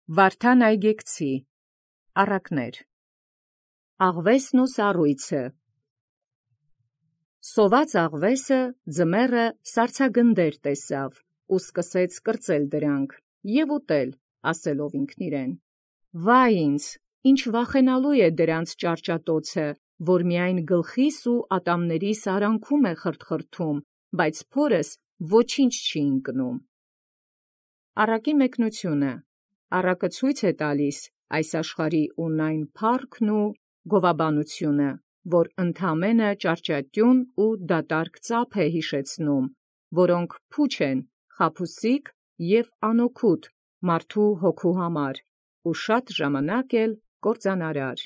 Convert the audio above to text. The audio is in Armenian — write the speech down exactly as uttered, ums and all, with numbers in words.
Վարդան Այգեկցի առակներ։ Աղվեսն ու սառույցը։ Սոված աղվեսը ձմեռը սառցագնդեր տեսավ, ու սկսեց կրծել դրանք և ուտել, ասելով ինքն իրեն. «Վայ ինձ, ինչ վախենալու է դրանց ճարճատոցը, որ միայն գլխիս ու ատամներիս արանքում է խրթխրթում, բայց փորս ոչինչ չի ընկնում»։ Առակի մեկնությունը։ Առակը ցույց է տալիս այս աշխարհի ունայն փառքն ու գովաբանությունը, որ ընդամենը ճարճատուն ու դատարկ ծափ է յիշեցնում, որոնք փուչ են, խաբուսիկ և անօգուտ մարդու հոգու համար, ու շատ ժամանակ էլ կործանարար։